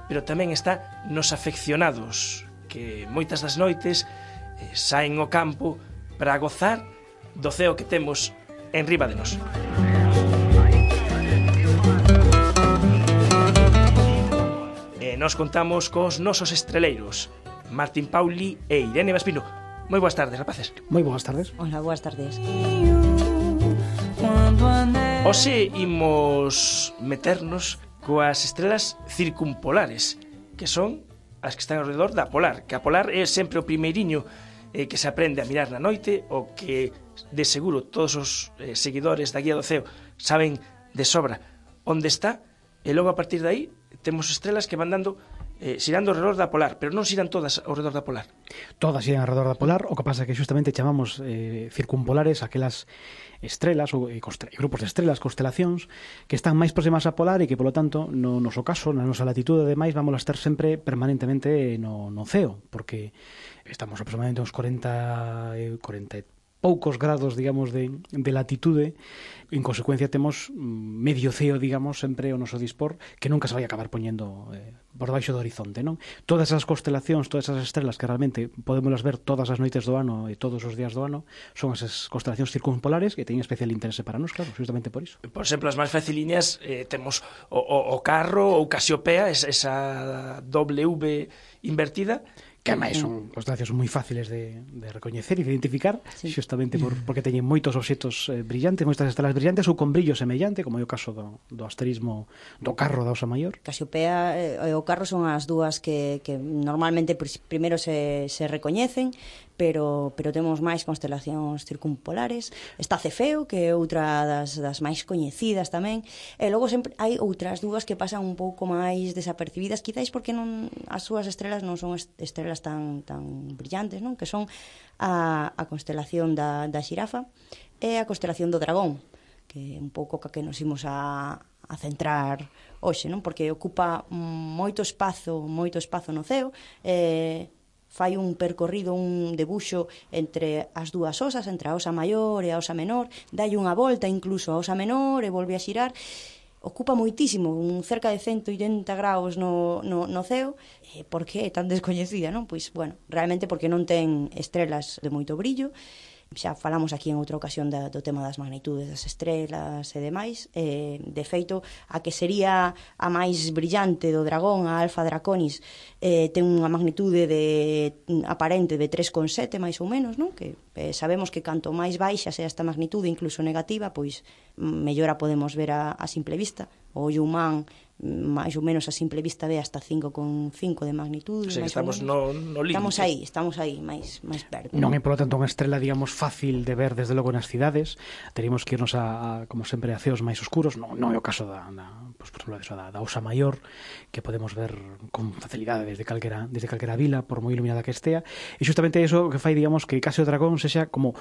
pero tamén está nos afeccionados, que moitas das noites eh, saen ao campo para gozar do ceo que temos enriba de nós. nos contamos cos nosos estreleiros, Martín Pauli e Irene Vaspino. Moi boas tardes, rapaces. Moi boas tardes. Hola, boas tardes. Hoxe imos meternos coas estrelas circumpolares, que son as que están ao redor da polar, que a polar é sempre o primeiriño eh, que se aprende a mirar na noite, o que de seguro todos os eh, seguidores da Guía do Ceo saben de sobra onde está, e logo a partir de aí temos estrelas que van dando eh, xirando ao redor da polar, pero non xiran todas ao redor da polar. Todas xiran ao redor da polar, o que pasa é que justamente chamamos eh, circumpolares aquelas estrelas ou e grupos de estrelas, constelacións que están máis próximas á polar e que, polo tanto, no noso caso, na nosa latitude, ademais, vamos a estar sempre permanentemente no, no ceo, porque estamos aproximadamente uns cuarenta, cuarenta e poucos grados, digamos, de, de latitude. En consecuencia, temos medio ceo, digamos, sempre o noso dispor, que nunca se vai acabar poñendo eh, por baixo do horizonte, non? Todas as constelacións, todas as estrelas que realmente podemos ver todas as noites do ano e todos os días do ano, son as constelacións circumpolares que teñen especial interese para nós, claro, justamente por iso. Por exemplo, as máis faciliñas, eh, temos o, o, o Carro ou Casiopea, esa, esa W invertida, que ademais son constelacións moi fáciles de, de recoñecer e de identificar, sí, justamente por, porque teñen moitos obxetos eh, brillantes, moitas estrelas brillantes ou con brillo semellante, como é o caso do, do asterismo do Carro da Osa Maior. Casiopea e o Carro son as dúas que, que normalmente primeiro se, se recoñecen, pero, pero temos máis constelacións circumpolares. Está Cefeo, que é outra das, das máis coñecidas tamén, e logo sempre hai outras dúas que pasan un pouco máis desapercibidas, quizáis porque non as súas estrelas non son estrelas tan, tan brillantes, non? Que son a, a constelación da, da xirafa e a constelación do dragón, que é un pouco ca que nos imos a, a centrar hoxe, non? Porque ocupa moito espazo, moito espazo no ceo, e fai un percorrido, un debuxo entre as dúas osas, entre a osa maior e a osa menor, dai unha volta incluso a osa menor e volve a xirar, ocupa moitísimo, un cerca de ciento oitenta graus no, no, no ceo. E por que é tan descoñecida, non? Pois, bueno, realmente porque non ten estrelas de moito brillo. Xa falamos aquí en outra ocasión da, do tema das magnitudes das estrelas e demais. Eh, de feito, a que sería a máis brillante do dragón, a Alfa Draconis, eh, ten unha magnitude de, aparente de tres coma sete, máis ou menos, non? Que eh, sabemos que canto máis baixa sea esta magnitude, incluso negativa, pois mellor a podemos ver a, a simple vista. O ollo humán, máis ou menos a simple vista, ve hasta cinco coma cinco de magnitude. O sea, estamos no, no límite. Estamos aí, estamos aí, máis, máis perto. Non é, polo tanto, unha estrela, digamos, fácil de ver desde logo nas cidades. Teríamos que irnos a, a como sempre, a ceos máis oscuros. Non, non é o caso da, da, pues, por exemplo, da, da Osa Maior, que podemos ver con facilidade desde calquera, desde calquera vila, por moi iluminada que estea. E justamente iso que fai, digamos, que case o dragón sexa como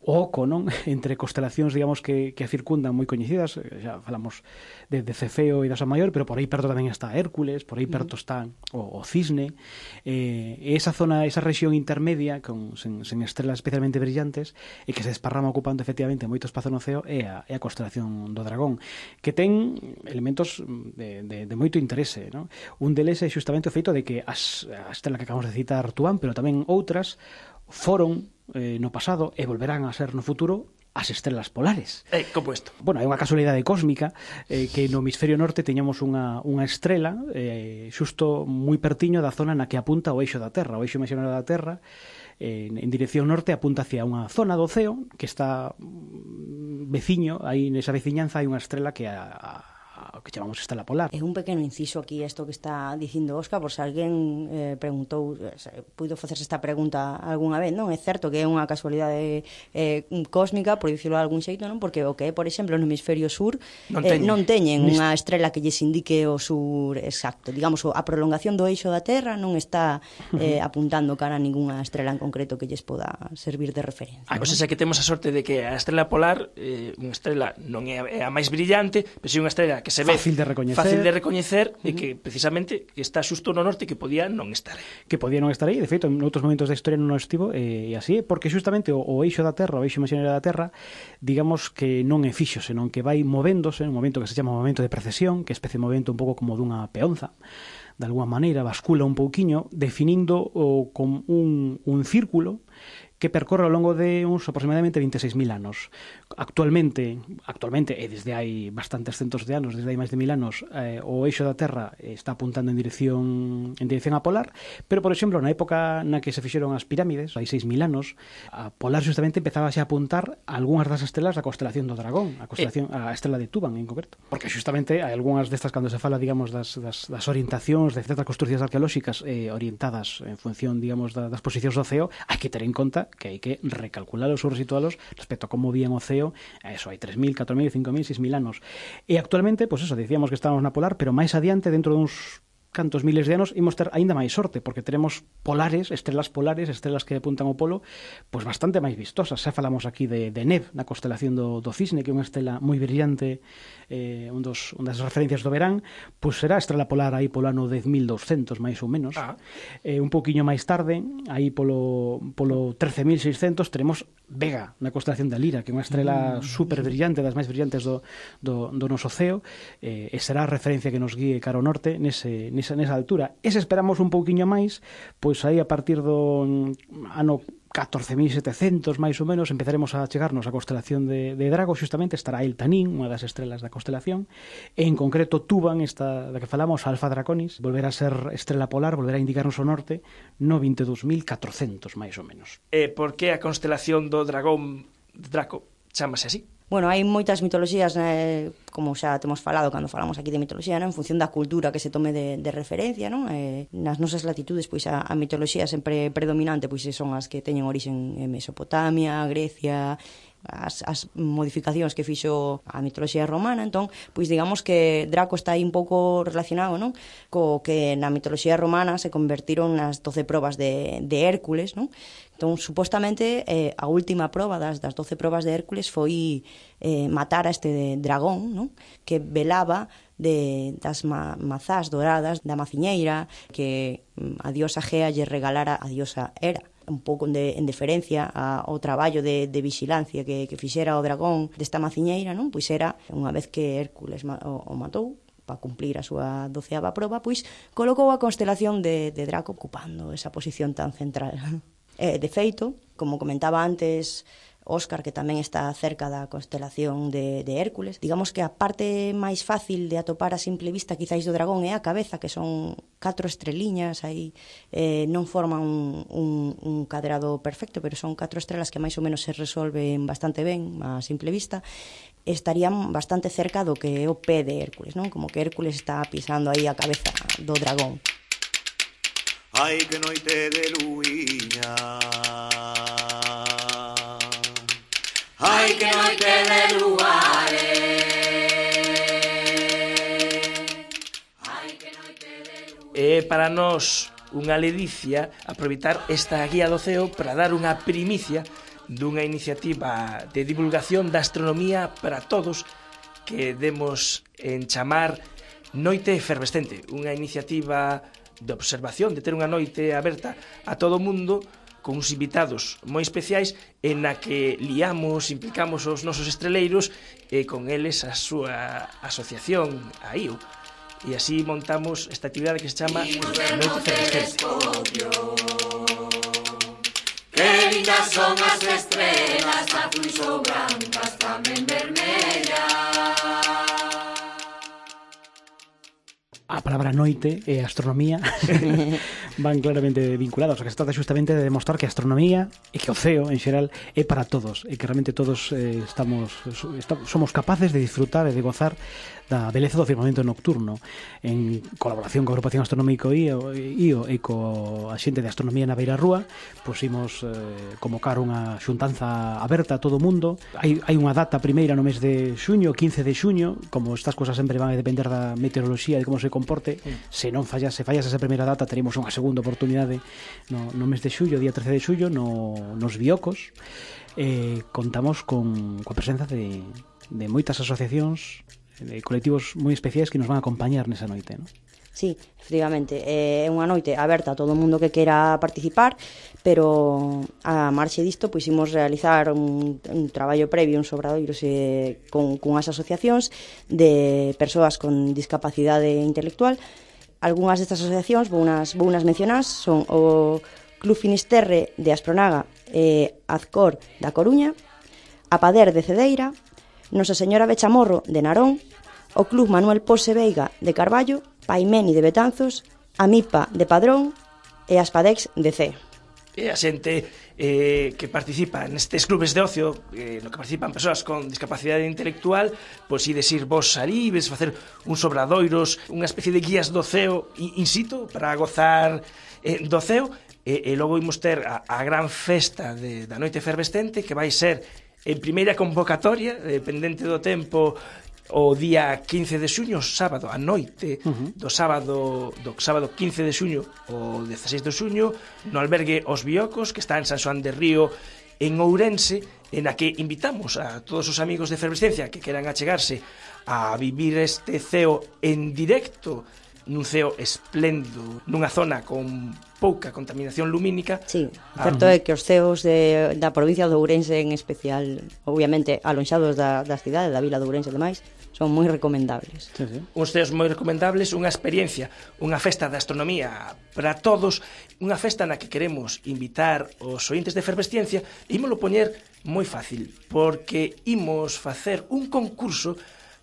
o oco, non? Entre constelacións, digamos, que, que a circundan moi coñecidas. Xa falamos de, de Cefeo e da Osa Maior, pero por aí perto tamén está Hércules, por aí perto está o, o Cisne, eh, e esa zona, esa rexión intermedia con, sen, sen estrelas especialmente brillantes e que se desparrama ocupando efectivamente moito espazo no ceo é a, é a constelación do dragón, que ten elementos de, de, de moito interese, non? Un deles é justamente o feito de que as, a estrela que acabamos de citar, Tuán, pero tamén outras foron eh, no pasado e volverán a ser no futuro as estrelas polares. Eh, como isto? Bueno, é unha casualidade cósmica eh, que no hemisferio norte teñamos unha, unha estrela eh, xusto moi pertiño da zona na que apunta o eixo da Terra. O eixo imaxinario da Terra eh, en dirección norte apunta hacia unha zona do ceo que está veciño, aí nesa veciñanza hai unha estrela que a, a que chamamos estela polar. É un pequeno inciso aquí isto que está dicindo Óscar, por se alguén eh, preguntou, se puido facerse esta pregunta algunha vez, non? É certo que é unha casualidade eh, cósmica, por dicirlo de algún xeito, non? Porque o que é, por exemplo, no hemisferio sur non, eh, non teñen unha estrela que lles indique o sur exacto. Digamos, a prolongación do eixo da Terra non está eh, apuntando cara a ningunha estrela en concreto que lles poda servir de referencia. A cosa é que temos a sorte de que a estrela polar, eh, unha estrela non é a máis brillante, pero si unha estrela que se ve fácil de recoñecer, fácil de recoñecer uh -huh. e que precisamente que está xusto no norte, que podía non estar aí. Que podía non estar aí, de feito, en outros momentos da historia non estivo, e así, porque justamente o, o eixo da Terra, o eixo imaxinario da Terra, digamos que non é fixo, senón que vai movéndose, un momento que se chama momento de precesión, que é especie de movimento un pouco como dunha peonza, de alguma maneira, bascula un pouquiño, definindo o, con un, un círculo que percorre ao longo de uns aproximadamente veintiséis mil anos. Actualmente, actualmente e desde hai bastantes centos de anos, desde hai máis de mil anos, eh, o eixo da Terra está apuntando en dirección en dirección a polar, pero, por exemplo, na época na que se fixeron as pirámides, hai seis mil anos, a polar justamente empezaba a apuntar a algunhas das estrelas da constelación do Dragón, a constelación, a estrela de Tuban en concreto, porque justamente hai algunhas destas, cando se fala, digamos, das, das, das orientacións de certas construccións arqueolóxicas eh, orientadas en función, digamos, da, das posicións do ceo, hai que ter en conta que hai que recalculalos ou resitualos respecto a como vían o ceo, eso, hai tres mil, catro mil, cinco mil, seis mil anos. E actualmente, pois pues eso, decíamos que estábamos na polar, pero máis adiante, dentro duns cantos miles de anos, imos ter aínda máis sorte, porque teremos polares, estrelas polares, estrelas que apuntan ao polo, pois bastante máis vistosas. Xa falamos aquí de, de Neb, na constelación do, do Cisne, que é unha estrela moi brillante, eh, un dos, unha das referencias do verán, pois será a estrela polar aí polo ano dez mil douscentos, máis ou menos. Ah. Eh, un poquinho máis tarde, aí polo, polo trece mil seiscentos, teremos Vega, na constelación da Lira, que é unha estrela mm. super brillante, das máis brillantes do, do, do noso ceo, eh, e será a referencia que nos guíe cara ao norte nese, nese nesa altura. E se esperamos un pouquiño máis, pois aí a partir do ano catorce mil setecentos, máis ou menos, empezaremos a chegarnos á constelación de, de Drago, justamente estará el Tanín, unha das estrelas da constelación, e en concreto Tuban, esta da que falamos, Alfa Draconis, volverá a ser estrela polar, volverá a indicarnos o norte no vinte e dous mil catrocentos, máis ou menos. E por que a constelación do Dragón Draco chamase así? Bueno, hai moitas mitoloxías, eh, como xa temos falado cando falamos aquí de mitoloxía, non? En función da cultura que se tome de, de referencia, non? Eh, nas nosas latitudes, pois a, a mitoloxía sempre predominante pois son as que teñen orixen en Mesopotamia, Grecia, as, as modificacións que fixo a mitoloxía romana. Entón, pois digamos que Draco está aí un pouco relacionado, non? Co que na mitoloxía romana se convertiron nas doce probas de, de Hércules, non? Entón, supostamente, eh, a última proba das, das doce probas de Hércules foi eh, matar a este dragón, non? Que velaba de, das ma, mazás doradas da maciñeira que a diosa Gea lle regalara a diosa Hera, un pouco de, en deferencia ao traballo de, de vigilancia que, que fixera o dragón desta maciñeira, non? Pois era, unha vez que Hércules ma, o, o matou, para cumplir a súa doceava proba, pois colocou a constelación de, de Draco ocupando esa posición tan central. Eh, de feito, como comentaba antes Óscar, que tamén está cerca da constelación de, de Hércules, digamos que a parte máis fácil de atopar a simple vista quizáis do dragón é a cabeza, que son catro estreliñas aí, eh, non forman un, un, un cadrado perfecto, pero son catro estrelas que máis ou menos se resolven bastante ben a simple vista. Estarían bastante cerca do que é o pé de Hércules, non? Como que Hércules está pisando aí a cabeza do dragón. Ai, que noite de luiña. Ai, que noite de luares. Ai, que noite de luares. É para nós unha ledicia aproveitar esta guía do ceo para dar unha primicia dunha iniciativa de divulgación da astronomía para todos que demos en chamar Noite Efervescente, unha iniciativa de observación, de ter unha noite aberta a todo o mundo con uns invitados moi especiais en na que liamos, implicamos os nosos estreleiros e con eles a súa asociación a I O, e así montamos esta actividade que se chama Noite Efervescente. Que lindas son as estrelas, azuis ou brancas, tamén vermellas. A palabra noite e a astronomía van claramente vinculados. O que se trata justamente de demostrar que a astronomía e que o ceo en xeral é para todos e que realmente todos eh, estamos, estamos somos capaces de disfrutar e de gozar da beleza do firmamento nocturno en colaboración coa agrupación astronómico I O, I O e co a xente de astronomía na Beira Rúa. Pusimos eh, convocar unha xuntanza aberta a todo o mundo. Hai, hai unha data primeira no mes de xuño, quince de xuño, como estas cosas sempre van a depender da meteoroloxía e de como se comporte. Mm. Se non fallase, fallase esa primeira data, teremos unha segunda oportunidade no, no mes de xullo, día trece de xullo, no, nos Biocos. Eh, contamos con coa presenza de, de moitas asociacións, de colectivos moi especiais que nos van a acompañar nesa noite, non? Sí, efectivamente, é unha noite aberta a todo o mundo que queira participar, pero a marxe disto pois imos realizar un, un traballo previo, uns obradoiros eh, con, con as asociacións de persoas con discapacidade intelectual. Algúnas destas asociacións, vou unas, vou unas mencionar, son o Club Finisterre de Aspronaga e Azcor da Coruña, a Pader de Cedeira, Nosa Señora Bechamorro de Narón, o Club Manuel Pose Veiga de Carballo, Paimeni de Betanzos, a MIPA de Padrón e as Padex de C. E a xente eh, que participa nestes clubes de ocio, eh, no que participan persoas con discapacidade intelectual, pois ides ir vos ali, ides facer uns obradoiros, unha especie de guías do ceo in situ para gozar eh, do ceo, e, e logo imos ter a, a gran festa de, da Noite Efervescente, que vai ser en primeira convocatoria, dependente do tempo, o día quince de xuño, sábado, a noite uh-huh. do sábado do sábado quince de xuño o dezasseis de xuño, no albergue Os Biocos, que está en San Xoán de Río, en Ourense, en a que invitamos a todos os amigos de Efervescencia que queran achegarse a vivir este ceo en directo, nun ceo espléndido, nunha zona con pouca contaminación lumínica. Sí, certo é que os ceos de, da provincia de Ourense en especial, obviamente alonxados da, das cidades, da vila de Ourense e demais, son moi recomendables. Sí, sí. Uns ceos moi recomendables, unha experiencia, unha festa de astronomía para todos, unha festa na que queremos invitar os ointes de Efervesciencia, e ímolo poñer moi fácil, porque imos facer un concurso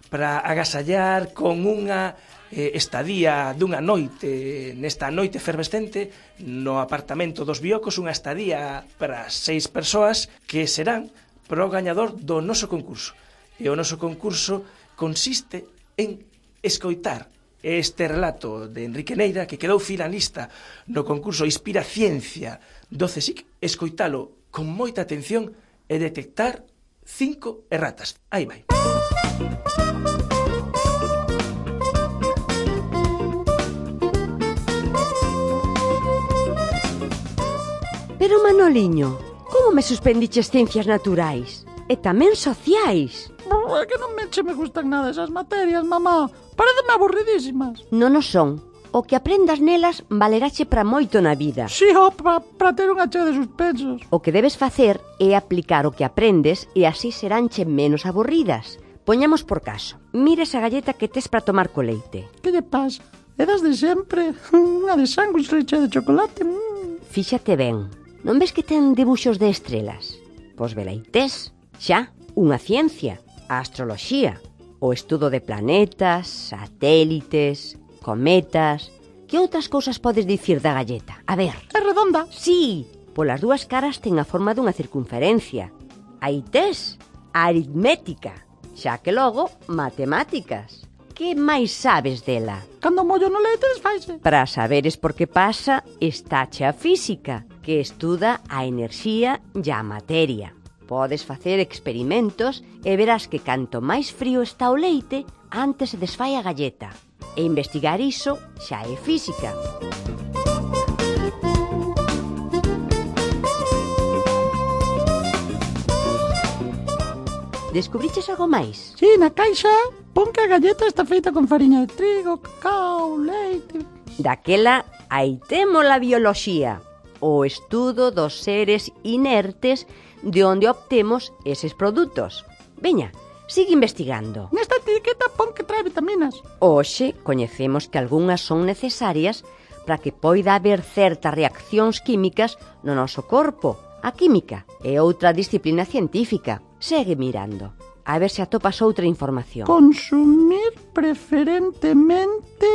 para agasallar con unha eh, estadía dunha noite, nesta noite efervescente, no apartamento dos Biocos, unha estadía para seis persoas que serán pro gañador do noso concurso. E o noso concurso consiste en escoitar este relato de Enrique Neira, que quedou finalista no concurso Inspira Ciencia do CSIC, escoitalo con moita atención e detectar cinco erratas. Aí vai. Pero Manoliño, como me suspendiches ciencias naturais? E tamén sociais? É que non me che me gustan nada esas materias, mamá. Pareceme aburridísimas. Non o son. O que aprendas nelas valerache para moito na vida. Si, ó, para pa ter unha chea de suspensos. O que debes facer é aplicar o que aprendes e así seránche menos aburridas. Poñamos por caso. Mira esa galleta que tes para tomar co leite. Que lle pasa? É das de sempre. Unha de sándwich leche de chocolate. Mm. Fíxate ben. Non ves que ten debuxos de estrelas? Pois veleites. Xa, unha ciencia, a astroloxía, o estudo de planetas, satélites, cometas. Que outras cousas podes dicir da galleta? A ver. É redonda? Sí, polas dúas caras ten a forma dunha circunferencia. Aí tes a aritmética, xa que logo matemáticas. Que máis sabes dela? Cando mollo no leite desfaise. Para saberes por que pasa, estáche a física, que estuda a enerxía e a materia. Podes facer experimentos e verás que canto máis frío está o leite, antes se desfai a galleta. E investigar iso xa é física. Descubriches algo máis? Sí, na caixa pon que a galleta está feita con fariña de trigo, cacao, leite. Daquela, aí temos a bioloxía, o estudo dos seres inertes de onde obtemos eses produtos. Veña, sigue investigando. Nesta etiqueta pon que trae vitaminas. Hoxe coñecemos que algunhas son necesarias para que poida haber certas reaccións químicas no noso corpo. A química é outra disciplina científica. Segue mirando, a ver se atopas outra información. Consumir preferentemente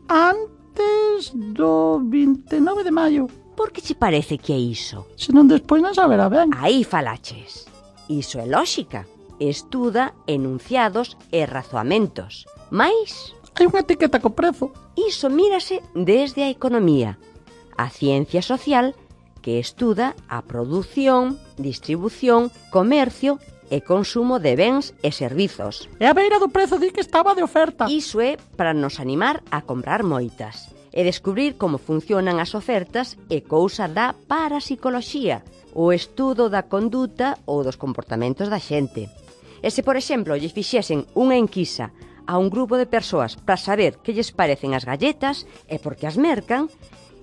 antes do vinte e nove de maio. Por que che parece que é iso? Se non despois non saberá ben. Aí falaches. Iso é lóxica. Estuda enunciados e razoamentos. Mais hai unha etiqueta co prezo. Iso mírase desde a economía. A ciencia social, que estuda a produción, distribución, comercio e consumo de bens e servizos. E a beira do prezo di que estaba de oferta. Iso é para nos animar a comprar moitas e descubrir como funcionan as ofertas e cousa da parapsicoloxía, o estudo da conduta ou dos comportamentos da xente. E se, por exemplo, lle fixesen unha enquisa a un grupo de persoas para saber que lles parecen as galletas e por que as mercan,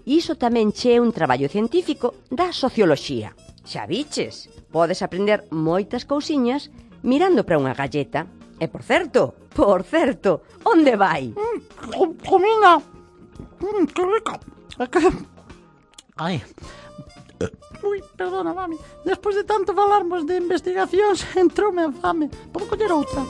iso tamén che é un traballo científico da socioloxía. Xa viches, podes aprender moitas cousiñas mirando para unha galleta. E, por certo, por certo, onde vai? Mm, comina. Mm, que rica. É que... Ai, Ui, perdona, mami. Despois de tanto falarmos de investigacións, entroume a fame. Podo coller outra?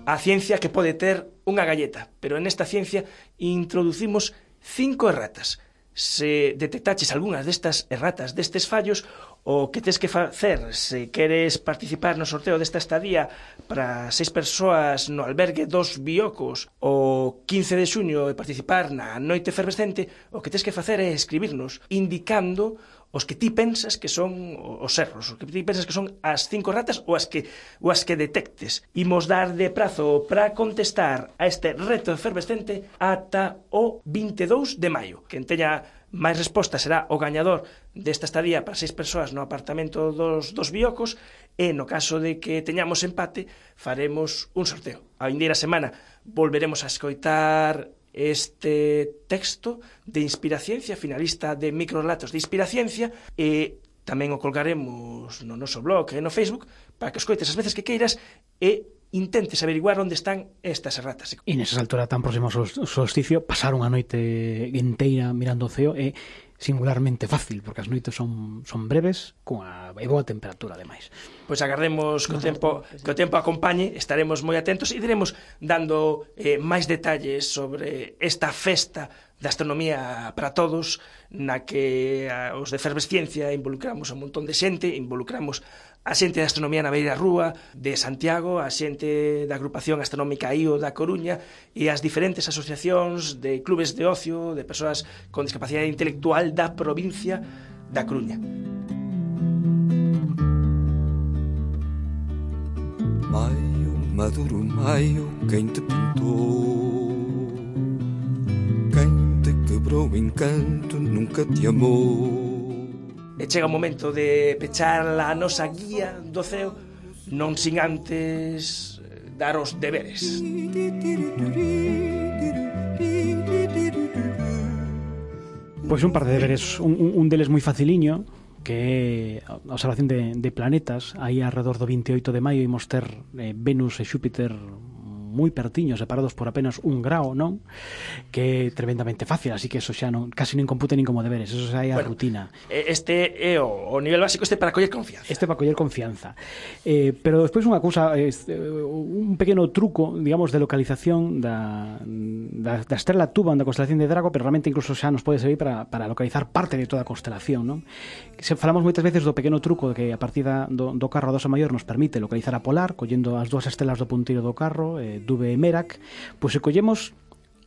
A ciencia que pode ter unha galleta, pero nesta ciencia introducimos cinco erratas. Se detectaches algunhas destas erratas, destes fallos, o que tes que facer se queres participar no sorteo desta estadía para seis persoas no albergue dos Biocos o quince de xuño e participar na noite efervescente, o que tes que facer é escribirnos indicando os que ti pensas que son os erros, os que ti pensas que son as cinco ratas ou as que ou as que detectes. Imos dar de prazo para contestar a este reto efervescente ata o vinte e dous de maio. Quen teña máis respostas será o gañador desta estadía para seis persoas no apartamento dos, dos Biocos e no caso de que teñamos empate faremos un sorteo. A vindeira semana volveremos a escoitar este texto de Inspiraciencia, finalista de Microrelatos de Inspiraciencia, e tamén o colgaremos no noso blog e no Facebook para que escoites as veces que queiras e intentes averiguar onde están estas erratas. E nesas alturas tan próximo ao solsticio, pasar unha noite enteira mirando o ceo é singularmente fácil, porque as noites son, son breves cunha e boa temperatura, ademais. Pois agardemos que o tempo, que o tempo acompañe, estaremos moi atentos e iremos dando eh, máis detalles sobre esta festa da astronomía para todos, na que a, os de Efervesciencia involucramos a un montón de xente, involucramos a xente da astronomía na Beira Rúa de Santiago, a xente da agrupación astronómica I O da Coruña e as diferentes asociacións de clubes de ocio, de persoas con discapacidade intelectual da provincia da Coruña. Maio, maduro maio, quen te pintou? Quen te quebrou o encanto, nunca te amou. E chega o momento de pechar a nosa guía do ceo, non sin antes dar os deberes. Pois un par de deberes, un, un deles moi faciliño, que é a observación de, de planetas. Aí alrededor do vinte e oito de maio imos ter eh, Venus e Xúpiter moi pertiños, separados por apenas un grao, non? Que é tremendamente fácil, así que eso xa non, casi non compute nin como deberes, eso xa é a bueno, rutina. Este é o, o nivel básico, este para coller confianza. Este para coller confianza. Eh, pero despois unha cousa, este, un pequeno truco, digamos, de localización da, da, da estrela Tuban, da constelación de Drago, pero realmente incluso xa nos pode servir para, para localizar parte de toda a constelación, non? Se falamos moitas veces do pequeno truco que a partida do, do carro a dosa maior nos permite localizar a polar, collendo as dúas estrelas do punteiro do carro, eh, Dube e Merak, pois se collemos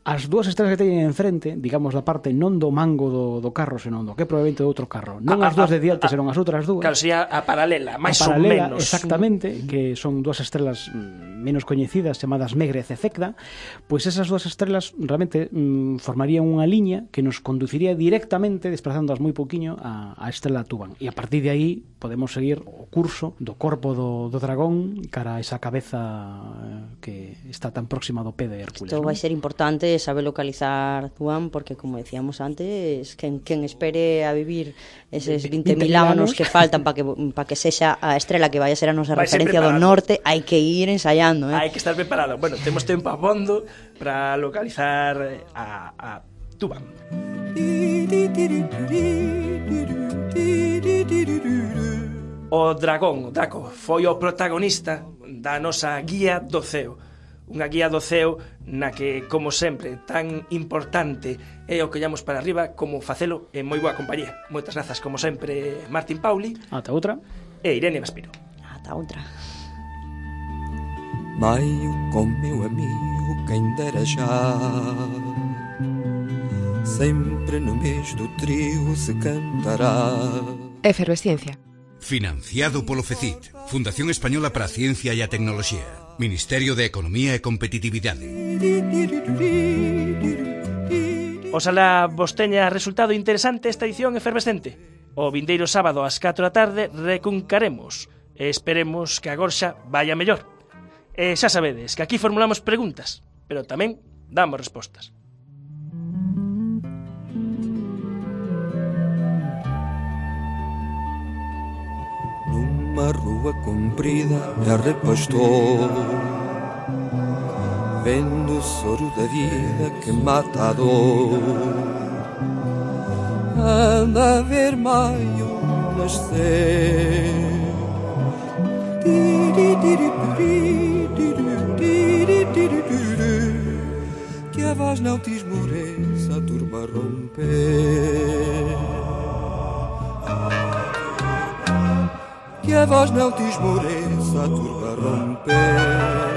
as dúas estrelas que teñen enfrente, digamos da parte non do mango do, do carro, senón do que probablemente do outro carro, non a, as dúas de diante, senón as outras dúas. Claro, sería a paralela, máis ou menos. Exactamente, que son dúas estrelas menos coñecidas, chamadas Megrez e Cecda, pois esas dúas estrelas realmente mm, formarían unha liña que nos conduciría directamente, desplazándoas moi pouquiño, a, a estrela Tuban. E a partir de aí podemos seguir o curso do corpo do, do dragón cara a esa cabeza que está tan próxima do pé de Hércules. Isto vai ¿no? ser importante saber localizar Tuban, porque como decíamos antes, quen, quen espere a vivir eses vinte mil anos que faltan para que, pa que sexa a estrela que vai a ser a nosa referencia do norte, hai que ir ensayando, eh? Hai que estar preparado. Bueno, temos tempo abondo para localizar a, a Tuban. O dragón, o Draco, foi o protagonista da nosa guía do ceo. Unha guía do ceo na que, como sempre, tan importante é o que llamos para arriba como facelo en moi boa compañía. Moitas grazas, como sempre, Martín Pauli. Ata outra. E Irene Vaspiro. Ata outra. Maio con meu amigo, quen dera xa. Sempre no mes do trigo se cantará. Efervesciencia. Financiado polo FECIT, Fundación Española para a Ciencia e a Tecnoloxía, Ministerio de Economía e Competitividade. Oxalá vos teña resultado interesante esta edición efervescente. O vindeiro sábado ás catro da tarde recuncaremos e esperemos que a gorxa vaya mellor. E xa sabedes que aquí formulamos preguntas, pero tamén damos respostas. na rua comprida e arrepastou, vendo o soro da vida que mata a dor. Anda a ver maio nascer, que a voz não te esmoreça, a turma romper, que a voz não te esmoreça, a turma romper.